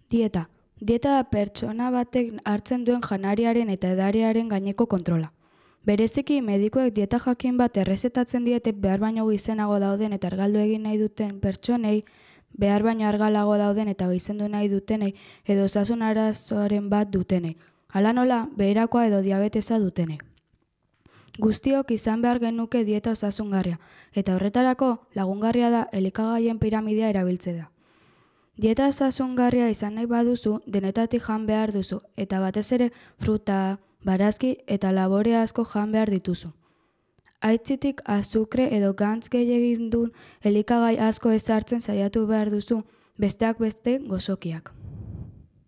Dieta. Dieta da pertsona batek hartzen duen janariaren eta edariaren gaineko kontrola. Bereziki, medikuek dieta jakin bat errezetatzen diete behar baino gizenago dauden eta argaldu egin nahi duten pertsonei, behar baino argalago dauden eta gizendu nahi dutenei edo osasun arazoaren bat dutenei. Hala nola, beherakoa edo diabetesa dutenei. Guztiok izan behar genuke dieta osasungarria, eta horretarako lagungarria da elikagaien piramidea erabiltzea. Dieta osasungarria izan nahi baduzu, denetatik jan behar duzu, eta batez ere fruta, barazki eta labore asko jan behar dituzu. Aitzitik azukre edo gantz gehiagindun elikagai asko ezartzen saiatu behar duzu, besteak beste gozokiak.